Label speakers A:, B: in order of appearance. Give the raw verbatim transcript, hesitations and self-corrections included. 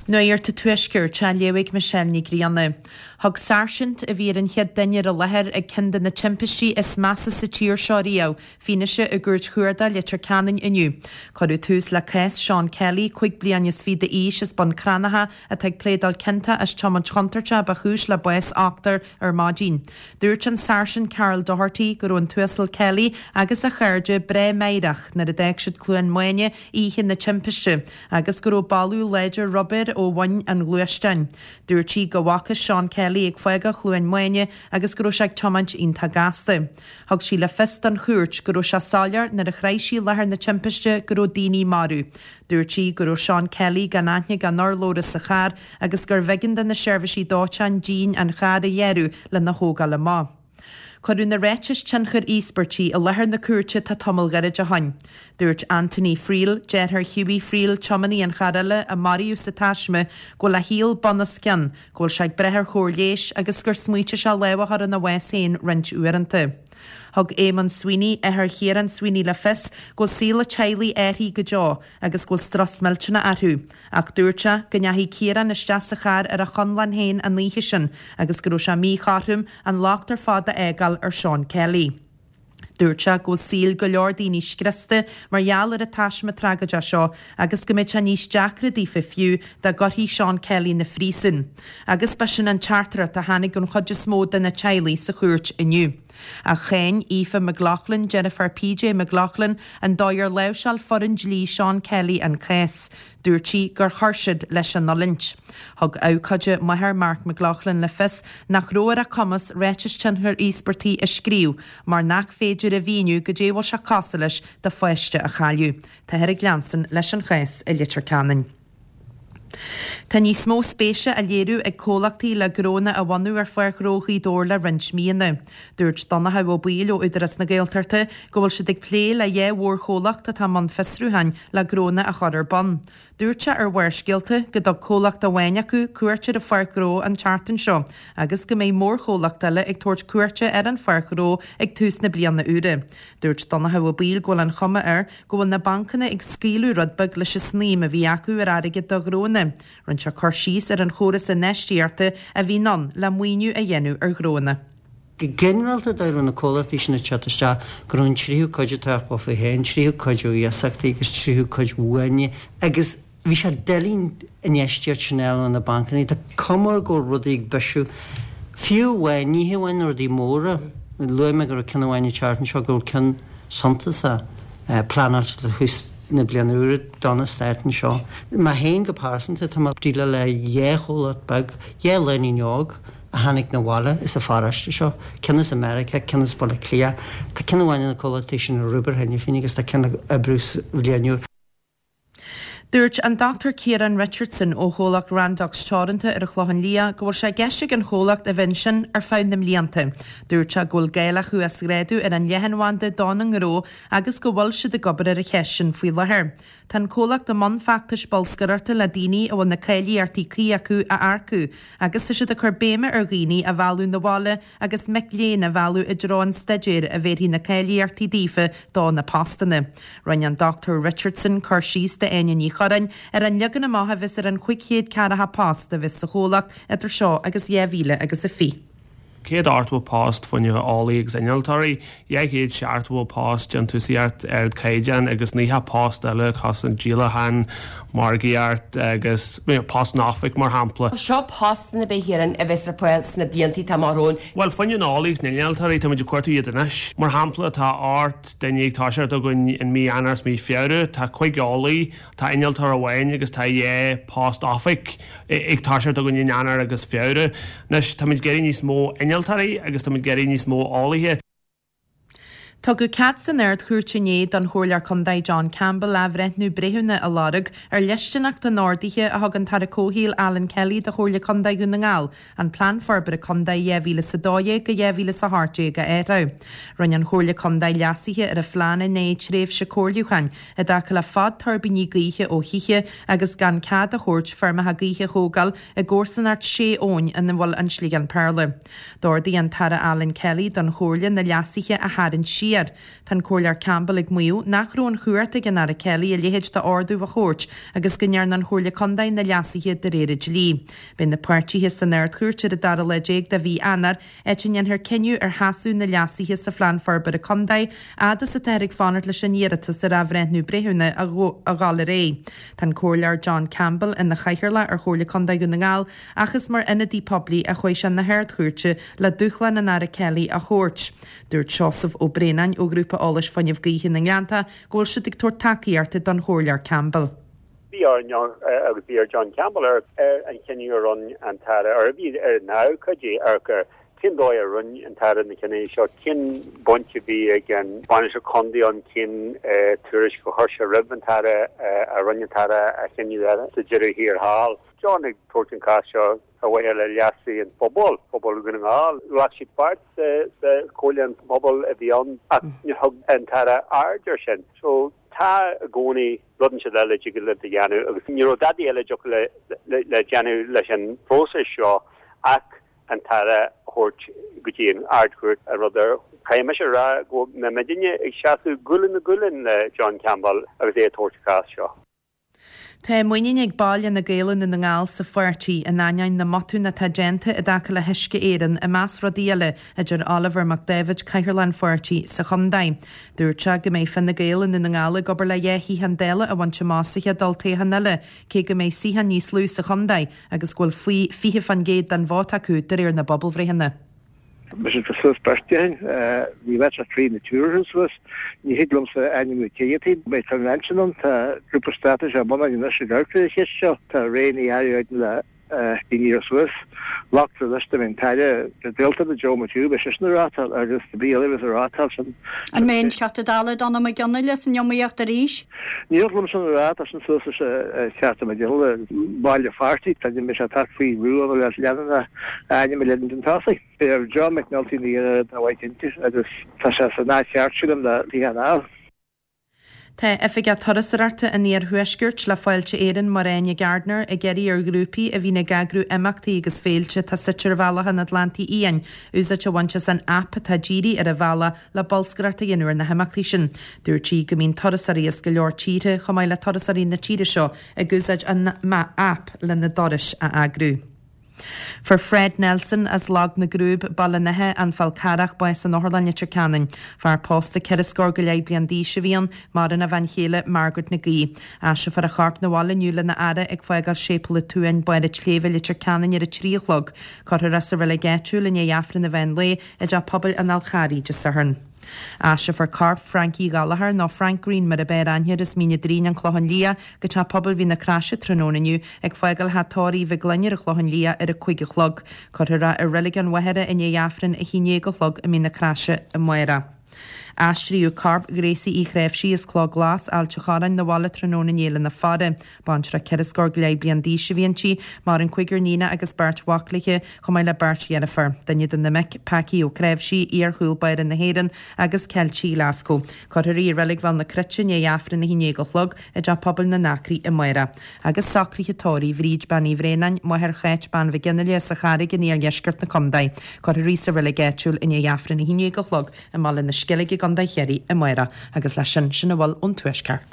A: Nuacht an Tuaiscirt á léamh ag Michelle Ní Ghrianna. Thug sáirsint a bhí ar an chéad duine ar an láthair ag ceann de na timpistí is measa sa tír seo riamh, fianaise i gCúirt Chuarda Leitir Ceanainn inniu. Cuireadh tús le cás Sean Kelly, cúig bliana is fiche d'aois as Bun Cranncha atá ag pléadáil ciontach as tiomáint chontúirteach ba chúis le bás ochtar ar maidin. Dúirt an sáirsint Carol Doherty go raibh an tUasal Kelly agus a chairde breá meidhreach nuair a d'fhág siad Cluain Maine oíche na timpiste agus go raibh boladh láidir rubair ó bhoinn an ghluaisteáin. Dúirt sí go bhfaca Sean Kelly ag fágáil Chluain Maine agus go raibh sé ag tiomáint iontach gasta. Thug sí le fios don chúirt go raibh sé soiléir nuair a shroich sí láthair na timpiste go raibh daoine marbh. Dúirt sí go raibh Sean Kelly gan aithne gan urlabhra sa charr agus gur bh'éigean do na seirbhísí dóiteáin díon an chairr a ghéarú lena thógáil amach. Cuireadh na ráitis tionchair íospartaigh i láthair na cúirte tá tamall gairid ó shin. Dúirt Anthony Friel, deartháir Hughie Friel, tiománaí an chairr eile a maraíodh sa taisme, go bhfuil a shaol bunoscionn, go bhfuil sé ag brath ar chóir leighis agus gur smaointigh sé lámh a chur ina bhás féin roinnt uaireanta. Thug Eamon Sweeney, athair Chiarán Sweeney le fios go bhfuil saol an teaghlaigh athraithe go deo agus go bhfuil strus millteanach orthu, ach dúirt sé go ndeachaigh Ciarán isteach sa charr ar a chonlán féin an oíche sin agus go raibh sé míchothrom an locht ar fad a fhágáil ar Sean Kelly. Dúirt sé go bhfuil saol go leor daoine scriosta mar gheall ar an taisme tragóideach seo agus go mbeidh sé níos deacra daofa fiú dá gcuirfí Sean Kelly na phríosún. Agus b'shin an teachtaireacht a tháinig ón chuid is mó de na teaghlaigh sa chúirt inniu. Ach cháin Aoife McLaughlin, deirfiúr PJ McLaughlin, an dóigh ar láimhseáil foireann dlí Sean Kelly an cás. Dúirt sí gur chuir siad leis an fhulaingt. Thug abhcóide máthair Mark McLaughlin le fios nach raibh ar a cumas ráiteas tionchair íospartaigh a scríobh, mar nach féidir a mhíniú goidé a bhfuil sé cosúil leis do pháiste a chailleadh. Táthar ag leanstan leis an chás i Leitir Ceanainn. Tá níos mó spéise á léiriú ag comhlachtaí le gnónna a bhunú ar Pháirc Ghnó Ghaoth Dobhair le roinnt míonna. Dúirt Donnchadh Ó Baoill ó Údarás na Gaeltachta go bhfuil siad ag plé le dhá mhórchomhlacht atá i mbun fiosrúcháin le gnónna a chur ar bun. Dúirt sé ar Bharrscéalta go dtug comhlacht amháin acu cuairt ar an Pháirc Ghnó an tseachtain seo agus go mbeidh mórchomhlacht eile ag tabhairt cuairte ar an Pháirc Ghnó ag tús na bliana úire. Dúirt Donnchadh Ó Baoill go bhfuil an chuma air go bhfuil na bancanna ag scaoileadh rud beag leis an snaidhm a bhí acu ar airgead do ghnónna. Rinne sé cur síos ar an chóras infheistíochta a bhíonn ann le maoiniú a dhéanamh ar ghnónna.
B: Go ginearálta deir na comhlachtaí sin ag teacht isteach go raibh an tríú cuid atá faoi féin, tríú cuid ó iasachtaí agus tríú cuid uaine agus bhí sé doiligh infheistíocht sin eile na bancanna Tá cuma go rudaí ag bisiú. Fiú amháin ní hamháin rudaí móra, luaigh mé go raibh ceann amháin an seo go ceann suntasach pleanáilte do thús na bliana úire don stát anseo. Mé féin go pearsanta tá mé ag déileáil le dhá chomhlacht beag, dhá lánúin óg a tháinig na bhaile is a pharóiste seo, ceann as America, ceann as Baile Átha Cliath, Tá ceann amháin na comhlachtaí sin ag obair cheana féin agus tá ceann ag oibriú bhliain úr.
A: Dúirt an Dr Ciarán Richardson ó chomhlacht Randox Teoranta ar an Chlochán Liath go bhfuil sé i gceist ag an chomhlacht a bheith ansin ar feadh na mblianta. Dúirt sé go bhfuil gá le huasghrádú ar an leathanbhanda don ngnó agus go bhfuil siad ag obair ar an cheist sin faoi láthair. Tá an comhlacht i mbun feachtais bolscaireachta le daoine a bhfuil na cáilíochtaí cuí acu a earcú, agus tá siad ag cur béime ar dhaoine a mhealladh na bhaile agus mic léinn a mhealladh i dtreo an staidéir a bhéarfaidh na cáilíochtaí daofa do na postanna. Rinne an Dr Richardson cur síos d'Áine Ní Churráin ar an leagan amach a bheas ar an chúig chéad ceathracha post a bheas sa chomhlacht idir seo agus dhá mhíle agus a fiche.
C: Céad ochtó post fá choinne eolaí agus innealtóirí, dhá chéad seachtó post déantúsaíocht ardchaighdeán agus naocha post eile cosaint díolachán, margaíocht agus post in oifig mar shampla.
D: Seo postanna b'fhéidir a bheas ar fáil sna blianta atá amach romhainn.
C: Well fá choinne eolaí agus innealtóirí tá muid ag cuartú iad anois. Mar shampla tá ocht duine ag toiseacht againn in mí Eanáir is mí Feabhra, tá cúig eolaí, tá innealtóir amháin agus tá dhá post oifig ag toiseacht againn in Eanáir agus Feabhra. Anois tá muid ag iarraidh níos mó innealtóirí agus tá muid ag iarraidh níos mó eolaithe.
A: Tugadh cead san Ard-Chúirt inné don Chomhairleoir Contae John Campbell athbhreithniú breithiúna a lorg ar dhlisteanacht an ordaithe a thug an tAire Comhshaoil Alan Kelly do Chomhairle Contae Dhún na nGall, an Plean Forbartha Contae dhá mhíle is a dó dhéag go dhá mhíle is a hocht déag a athrú. Rinne an Chomhairle Contae leasuithe ar a phlean i ndiaidh tréimhse comhairliúcháin i dtaca le fad tuirbíní gaoithe ó thithe agus gan cead a thabhairt feirmeacha gaoithe a thógáil i gcomharsanacht sé abhainn ina bhfuil an Sliogán Péarla. D'ordaigh an tAire Alan Kelly don Chomhairle na leasuithe a tharraingt siar siar. Tá an Comhairleoir Campbell ag maíomh nach raibh an chumhacht ag an Aire Kelly a leithéid d'ordú a thabhairt agus go ndearna an Chomhairle Contae na leasuithe de réir an dlí. Beidh na páirtithe san Ard-Chúirt ar an dara lá déag de mhí Eanáir, áit a ndéanfar cinneadh ar sheasamh na leasuithe sa Phlean Forbartha Contae, fhad is atáthar ag fanacht leis an iarratas ar athbhreithniú breithiúna a dhul ar aghaidh. Tá an Comhairleoir John Campbell ina chathaoirleach ar Chomhairle Contae Dhún na nGall ach is mar ionadaí poiblí a chuaigh sé na hArd-Chúirte le dúshlán an Aire Kelly a thabhairt. Dúirt Seosamh Ó Braonáin ó Ghrúpa Eolais Fuinneamh Gaoithe na nGleannta go bhfuil siad ag tabhairt tacaíochta don Chomhairleoir Campbell.
E: Bhí ar agus bhí ar John Campbell ar ar an chinneadh a rinne an tAire ar bhí ar na cuidí ar gur cén dóigh a rinne an tAire na cinní seo cén baint a bhí ag an bainisteoir contae ann cén tuairisc a chuir sé roimh an tAire a rinne an tAire a chinneadh sa deireadh thiar thall. John ag tabhairt an cás seo ar mhaithe le leas an phobal, pobal Dhún na nGall. Ghlac siad páirt sa chomhairle an pobal a bhí ann ach níor thug an tAire aird air sin. So tá i gcónaí rud inteacht eile a dtig le a dhéanamh agus ní raibh dadaí eile le le déanamh leis an bpróiseas seo ach an tAire a thabhairt go dtí an Ard-Chúirt a rud ar Caithfidh mise a rá go mbeidh muidinne ag seasamh gualainn le gualainn le John Campbell agus é ag tabhairt an cás seo.
A: Tá muinín ag baill Fhine Gael i nDún na nGall sa pháirtí in ainneoin na mbotún atá déanta i dtaca le hUisce Éireann, i measc rudaí eile, a deir Oliver Mac Daibhéid, Cathaoirleach an pháirtí sa chontae. Dúirt sé go mbeidh Fine Gael i nDún na nGall ag obair le dhá shuíochán Dála a bhaint amach sa chéad olltoghchán eile, cé go mbeidh suíocháin níos lú sa chontae agus go bhfuil faoi fiche faoin gcéad den vóta acu de réir na bpobalbhreitheanna.
F: Mise tá suas beirt déan, ní bheadh sé trí na túir suas, ní thig liomsa ainmniú cé hiad. Beidh convention ann, tá grúpa straitéise á bhunú anois ag amharc ar an cheist seo, tá Ray Ní Fhearraigh le daoine ar suas. Glactar leis go mbeidh an tAire Gaeltachta Joe McHugh, beidh seisean ag rátáil agus cibé eile a bheas ag rátáil sin.
G: An mbeidh an Teachta Dála Donald Mac Fhionnghaile san iomaíocht arís?
F: Ní thig liom sin a rá, tá sin suas leis an Teachta Mac Giolla, baill an pháirtí, tá mbeidh sé ag teacht faoi bhrú le leanúint a ainm a leanúint chun tosaigh. Beidh John McNulty ina dhéanamh dá mhaith cinnte agus tá sé san áit cheart sílim le Teach an Ádha.
A: Tá Oifigeach Turasóireachta an Iarthuaiscirt le Fáilte Éireann, Máire Áine Gardiner, ag iarraidh ar ghrúpaí a bhíonn ag eagrú imeachtaí agus féilte atá suite ar bhealach an Atlantaigh Fhiáin úsáid a bhaint as an aip atá dírithe ar an bhealach le bolscaireacht a dhéanamh ar na himeachtaí sin. Dúirt sí go mbíonn turasóirí as go leor tíortha, chomh maith le turasóirí na tíre seo, ag úsáid an aip lena dturais a eagrú. Fuair Fred Nelson as Log na gCrúb, Baile an Átha, An Fál Carrach, bás in Otharlann Leitir Ceanainn. Fear pósta ceithre scór go leith bliain d'aois a bhí ann, maireann a bhean chéile Margaret Nic Aoidh. Aistreofar a chorp 'na bhaile inniu lena fhaire ag fágáil Séipéal an tSuain, Barr an tSléibhe, Leitir Ceanainn ar a trí a chlog. Cuirfear é sa reilig áitiúil i ndiaidh Aifreann an mheán lae i dTeach Pobail an Fháil Charraigh Dé Sathairn. Aistreofar corp Frankie Gallagher, nó Frank Green mar ab fhearr aithne air, as Mín an Doirín, An Clochán Liath, go Teach Pobail Mhín na Croise tráthnóna inniu, ag fágáil Theach Tórraimh Mhic Gloinn ar an Chlochán Liath ar a cúig a chlog. Cuirfear é i Reilig an Mhachaire i ndiaidh Aifreann a haon déag a chlog i Mín na Croise amárach. Aistríodh corp Ghracie Uí Chnáimhsí as Cloch Glas, Ailt an Chorráin, 'na bhaile tráthnóna inné lena faire. Baintreach ceithre scór go leith bliain d'aois a bhí inti, maireann cúigear níonach agus beirt mhac léi, chomh maith le beirt dheirfiúr. Duine de na mic, Packie Ó Cnáimhsí, iar-chúl báire na hÉireann agus Ceiltigh Ghlaschú. Cuirfear í i Reilig Bhéal na Cruite i ndiaidh Aifreann a haon déag a chlog i dTeach Pobail na nAcraí amárach. Agus socruithe tórraimh Bhríd Bean Uí Bhraonáin, máthair Cháit Bean Mhic Fhionnghaile as an Charraig in iardheisceart na contae. Cuirfear í sa reilig áitiúil i ndiaidh Aifreann a haon déag a chlog i mBaile na Sceilge i gContae Chiarraí amárach. Agus leis sin, sin a bhfuil ón Tuaisceart.